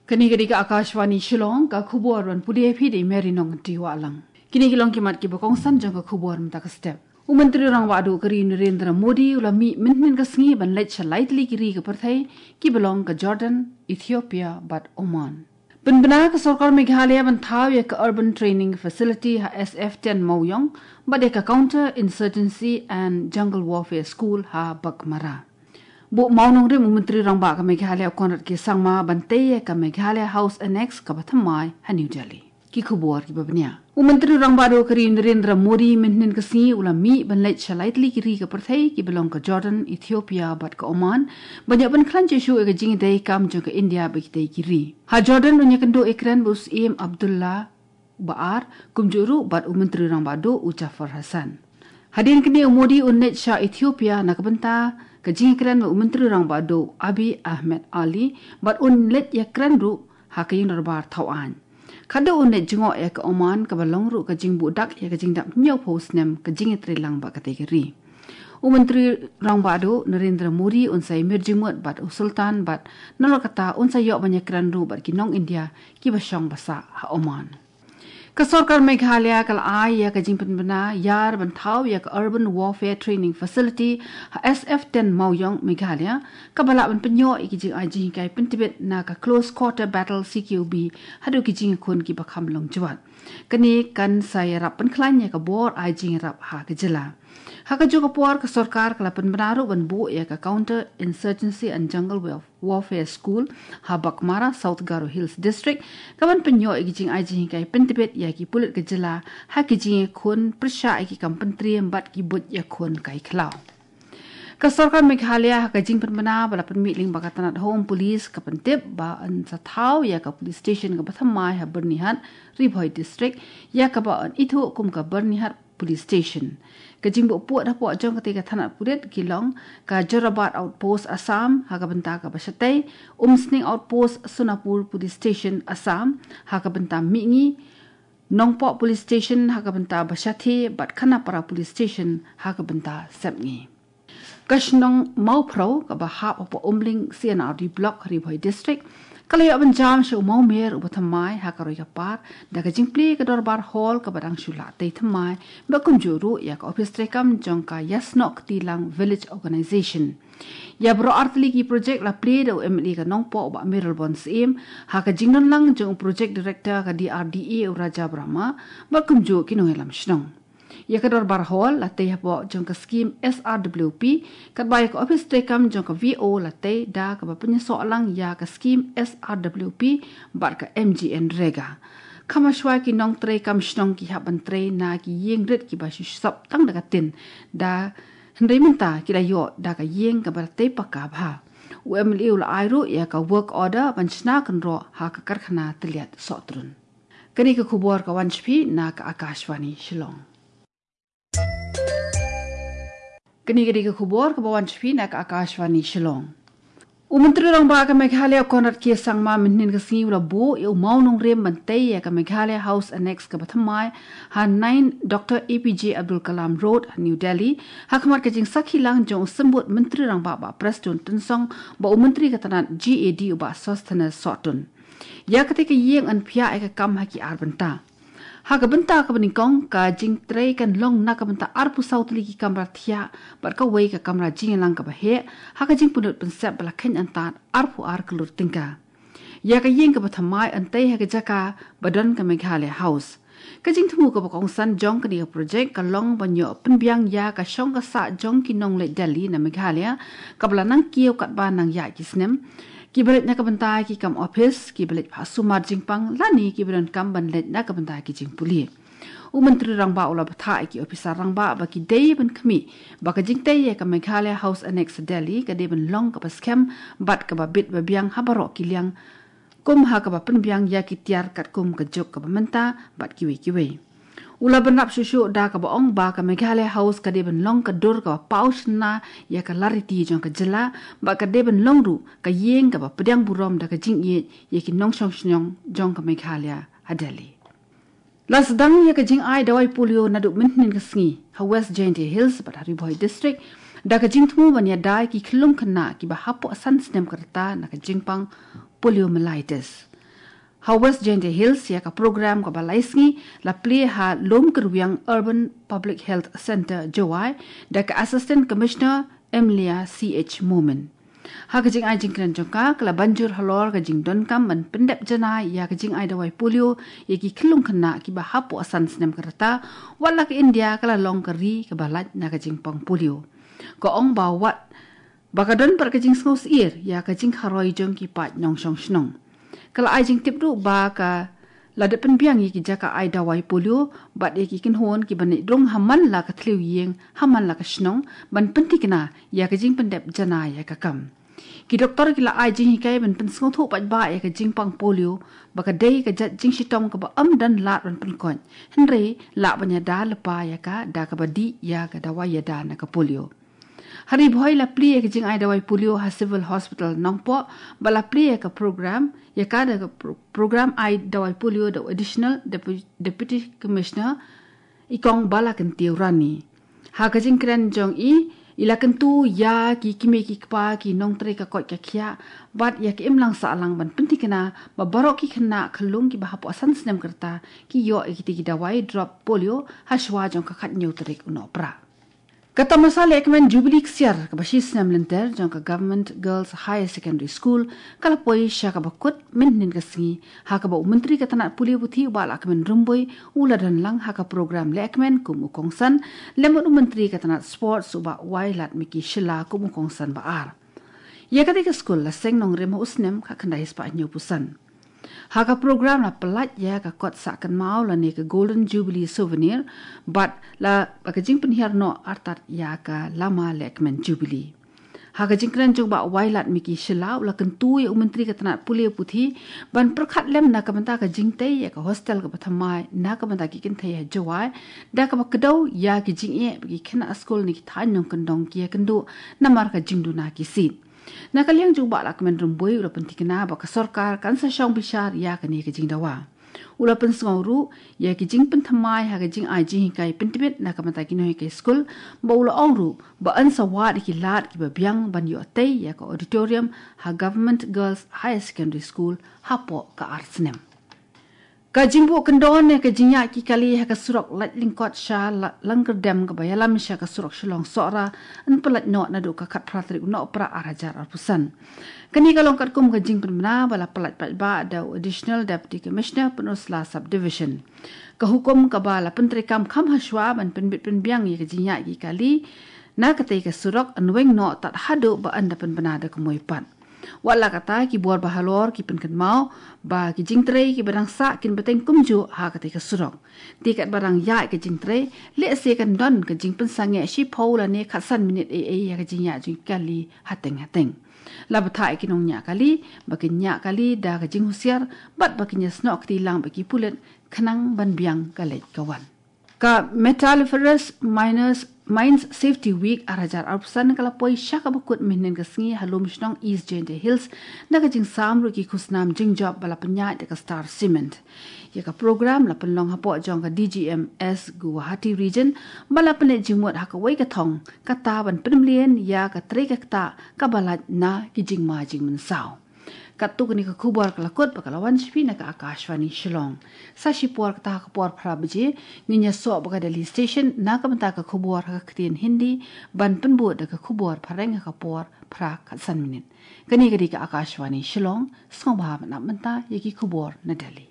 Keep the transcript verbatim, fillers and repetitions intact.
Kane ka dei ka Akashvani Shillong, ka khubor ban pule phi da i Mary Nongti Wahlang. Kine ki long ki mat kiba kongsan jong ka khubor mynta ka step. U Myntri Rangbah Duh ka ri Narendra Modi u la mih mynhynnin ka sngi ban leit sha lai tylli ki ri ka pyrthei kiba long ka Jordan, Ethiopia bad Oman. Pynbna ka sorkar Meghalaya ban thaw ïa ka Urban Training Facility ha S F ten Mawïong bad ïa ka Counter Insurgency and Jungle Warfare School ha Baghmara. Buh mawnongrim u Myntri Rangbah ka Meghalaya u Conrad K Sangma ban tei ïa ka Meghalaya House Annex kaba thymmai ha New Delhi. Ki khubor kiba bniah. U Myntri Rangbah Duh ka ri Narendra Modi mynhynnin ka sngi u la mih ban leit sha lai tylli ki ri ka pyrthei kiba long ka Jordan, Ethiopia bad ka Oman ban ïoh pynkhlaiñ shuh shuh ïa ka jingïadei kam jong ka India bad kitei ki ri. Ha Jordan un ïakynduh ïakren bad u Syiem Abdullah ba ar, kumjuh ruh bad u Myntri Rangbah Duh u Jafar Hassan. Hadien kane u Modi un leit sha Ethiopia na ka bynta ka jingïakren bad u Myntri Rangbah Duh Abiy Ahmed Ali bad un leit ïakren ruh ha ka ïing dorbar thaw aiñ. Khadduh un leit jngoh ïa ka Oman kaba long ruh ka jingbuh dak ïa ka jingdap hynñiewphew snem ka jingïatreilang bad katei ka ri. U Myntri Rangbah Duh Narendra Modi un sa ïamir jingmut bad u Sultan bad nalor kata un sa ïoh ban ïakren ruh bad ki nong India kiba shong basa ha Oman. Ka sorkar Meghalaya ka la ai ïa ka jingpynbna ïar ban thaw ïa ka Urban Warfare Training Facility ha S F ten Mawïong, Meghalaya, kaba lah ban pynïoh ïa ki jingai jinghikai pyntbit na ka Close Quarter Battle, C Q B, haduh ki jingïakhun kiba kham long jwat. Kane kan sa ïarap pynkhlaiñ ïa ka bor ai jingïarap ha ka jylla. Ha kajuh ka por ka sorkar ka la pynbna ruh ban buh ïa ka Counter Insurgency and Jungle Warf- Warfare School ha Baghmara, South Garo Hills District, kaban pynïoh ïa ki jingai jinghikai pyntbit ïa ki pulit ka jylla ha ki jingïakhun pyrshah ïa ki kam pyntriem bad ki buit ïakhun kai khlaw. Ka sorkar Meghalaya ha ka jingpynbna ba la pynmih lyngba ka tnat Home Police ka pyntip ba yn sa thaw ïa ka police station kaba thymmai ha Byrnihat, Ri Bhoi District, ïa kaba yn ithuh kum ka Byrnihat Police Station. Ka jingbuh pud hapoh jong katei ka tnat pulit ki long ka Jorabat Outpost Assam ha ka bynta kaba shatei, Umsning Outpost Sonapur Police Station Assam ha ka bynta mihngi, Nongpoh Police Station ha ka bynta ba shathie bad Khanapara Police Station ha ka bynta sepngi. Ka shnong Mawphrew kaba hap hapoh Umling C and R D Block, Ri Bhoi District, ka la ïoh ban jam sha u mawmer uba thymmai ha ka roi ka par da ka jingplie ka dorbar hall kaba dang shu lah tei thymmai, bad kumjuh ruh ïa ka ophis treikam jong ka Ïasnoh Ktilang Village Organization. Ïa baroh artylli ki projek la plie da u M L A ka Nongpoh u Bah Mayralborn Syiem ha ka jingdonlang jong u Project Director ka D R D A u Raja Brahma bad kumjuh ki nongïalam shnong. Ïa ka dorbar hall la tei hapoh jong ka skim S R W P, katba ïa ka ophis treikam jong ka V O la tei da kaba pynïasoh lang ïa ka skim S R W P bad ka M G N Rega. Kham hashwa ki nongtreikam shnong ki hap ban trei na ki ïing rit kiba shu sop tang da ka tin, da hynrei mynta ki la ïoh da ka ïing kaba tei paka bha. U M L A u la ai ruh ïa ka work order ban shna kynroh ha ka karkhana tylliat Sohtrun. Kane ka khubor ka wan sha phi na ka Akashvani Shillong. Kane ka dei ka khubor kaba wan sha phi na ka Akashvani Shillong. U Myntri Rangbah ka Meghalaya u Conrad K Sangma mynhynnin ka sngi u la buh ïa u mawnongrim ban tei ïa ka Meghalaya House Annex kaba thymmai ha nine Doctor A P J Abdul Kalam Road ha New Delhi, ha khmat ka jingsakhi lang jong u Symbud Myntri Rangbah Bah Prestone Tynsong bad u Myntri ka tnat G A D u Bah Sosthenes Sohtun. Ïa katei ka ïing yn pynïaid ïa ka kam ha ki ar bynta. Ha ka bynta kaba nyngkong, ka jingtrei kan long na ka bynta arphew saw tylli ki kamra thiah bad kawei ka kamra jingïalang kaba heh, ha ka jingpynlut pynsep ba la kheiñ antad arphew ar klur tyngka. Ïa ka ïing kaba thymmai yn tei ha ka jaka ba don ka Meghalaya House. Ka jingthmu kaba kongsan jong kane ka projek ka long ban ïoh pynbiang ïa ka shong ka sah jong ki nongleit Delhi na Meghalaya, kaba la nang kiew katba nang ïaid ki snem, kiba leit na ka bynta ki kam ophis, kiba leit phah sumar jingpang lane kiba donkam ban leit na ka bynta ki jingpule. U Myntri Rangbah u la bthah ïa ki ophisar rangbah ba ki dei ban khmih ba ka jingtei ïa ka Meghalaya House Annex Delhi ka dei ban long kaba skhem bad kaba bit ba biang ha baroh ki liang, kum ha kaba pynbiang ïa ki tiar katkum ka juk kaba mynta bad kiwei kiwei. U la bynrap shuh shuh da kaba ong ba ka Meghalaya House ka dei ban long ka dur kaba paw shynna ïa ka lariti jong ka jylla, bad ka dei ban long ruh ka ïing kaba pdiang burom da ka jingïeit ïa ki nongshong shnong jong ka Meghalaya ha Delhi. La sdang ïa ka jingai dawai polio naduh mynhynnin ka sngi ha West Jaintia Hills bad ha Ri Bhoi District, da ka jingthmu ban ïada ïa ki khyllung khynnah kiba hapoh san snem ka rta na ka jingpang poliomyelitis. Ha West Jaintia Hills ïa ka program kaba lai sngi la plie ha Lum Kyrwiang Urban Public Health Centre Jowai da ka Assistant Commissioner Emilia C H Momin. Ha ka jingai jingkren jong ka, ka la ban jur halor ka jingdonkam ban pyndep janai ïa ka jingai dawai polio ïa ki khyllung khynnah kiba hapoh san snem ka rta, wat la ka India ka la long ka ri kaba lait na ka jingpang polio. Ka ong ba wat ba ka don pat ka jingsngewsyier ïa ka jingharoi jong ki paid nongshong shnong. Ka la ai jingtip ruh ba ka la dep pynbiang ïa ki jaka ai dawai polio bad ïa ki kynhun kiba neh drung ha man la ka thliew ïing, ha man la ka shnong, ban pynthikna ïa ka jingpyndep janai ïa ka kam. Ki doktor ki la ai jinghikai ban pynsngewthuh paidbah ïa ka jingpang polio, ba ka dei ka jait jingshitom kaba ym don lad ban pynkoit, hynrei lah ban ïada lypa ïa ka da kaba dih ïa ka dawai ïada na ka polio. Ha Ri Bhoi la plie ïa ka jingai dawai polio ha Civil Hospital Nongpoh, ba la plie ïa ka program, ïa ka da ka pro-, program ai dawai polio da u Additional Depu-, Deputy Commissioner, i Kong Balakyntiew Rani. Ha ka jingkren jong i, i la kyntu ïa ki kmie ki kpa, ki nongtrei ka koit ka khiah, bad ïa ki imlang sahlang ban pynthikna ba baroh ki khynnah khyllung kiba hapoh san snem ka rta ki ïoh ïa kitei ki dawai drop polio ha shuwa jong ka khathynñiew tarik u Nohprah. Ka tamasa lehkmen Jubilee ksiar kaba shi snem lynter jong ka Government Girls Higher Secondary School ka la poi sha kaba kut mynhynnin ka sngi, ha kaba u Myntri ka tnat pule puthi u Bah Lahkmen Rymbui u la don lang ha ka program lehkmen kum u kongsan, lem bad u Myntri ka tnat Sports u Bah Wailadmiki Shylla kum u kongsan ba ar. Ïa katei ka skul la seng nongrim ha u snem khatkhyndai spah hynñiewphew san. Ha ka program la pyllait ïa ka kot sah kynmaw lane ka Golden Jubilee Souvenir, bad la ba ka jingpynhiar noh artat ïa ka lama lehkmen Jubilee. Ha ka jingkren jong u Bah Wailadmiki Shylla u la kyntu ïa u Myntri ka tnat pule puthi ban pyrkhat lem na ka bynta ka jingtei ïa ka hostel kaba thymmai na ka bynta ki kynthei ha Jowai, da kaba kdew ïa ki jingeh ba ki khynnah skul na ki thaiñ nongkyndong ki ïakynduh namar ka jingduna ki seat. Na ka liang jong u Bah Lahkmen Rymbui u la pynthikna ba ka sorkar kan sa shong bishar ïa kane ka jingdawa. U la pynsngew ruh ïa ki jingpynthymmai ha ka jingai jinghikai pyntbit na ka bynta ki nonghikai skul, bad u la ong ruh ba yn sa wad ïa ki lad kiba biang ban ïoh tei ïa ka auditorium ha Government Girls Higher Secondary School hapoh ka ar snem. Ka jingbuh kyndon ïa ka jingïaid ki kali ha ka surok lait lyngkot sha la-, Langkyrdem kaba ïalam sha ka surok Shillong Sohra yn pyllait noh naduh ka khatphra tarik u Nohprah ar hajar arphew san. Kane ka long katkum ka jingpynbna ba la pyllait paidbah da u Additional Deputy Commissioner Pynursla Subdivision. Ka hukum kaba la pyntreikam kham hashwa ban pynbit pynbiang ïa ka jingïaid ki kali na katei ka surok yn weng noh tad haduh ba yn da pynbna da ka mui pat. Wat la katta, ki bor ba halor ki pynkynmaw ba ki jingtrei kiba dang sah kin bteng kumjuh ha katei ka surok. Te katba dang ïaid ka jingtrei, lehse kan don ka jingpynsangeh shiphew lane khatsan minit ei ei ïa ka jingïaid jong ki kali hateng hateng. La bthah ïa ki nongñiah kali ba kin ñiah kali da ka jinghusiar bad ba kin ïasnoh kti lang bad ki pulit khnang ban biang ka leit ka wan. Ka Metalliferous Miners, Mines Safety Week ar hajar arphew san ka la poi sha kaba kut mynhynnin ka sngi ha Lumshnong, East Jaintia Hills, na ka jingsam ruh ki khusnam jingjop ba la pynïaid da ka Star Cement. Ïa ka program la pynlong hapoh jong ka D G M S Guwahati Region, ba la pynleit jingmut ha kawei ka thong, kata ban pynmlien ïa ka trei ka ktah kaba lait na ki jingma jingmynsaw. Katto kane ka khubor ka la kut bad ka la wan sha phi na ka Akashvani Shillong. Sa shipor kata ha ka por phra baje, ngin ïasoh bad ka Delhi Station na ka bynta ka khubor ha ka ktien Hindi, ban pynbud da ka khubor phareng ha ka por phra khatsan minit. Kane ka dei ka Akashvani Shillong, sngewbha ban ap bynta ïa ki khubor na Delhi.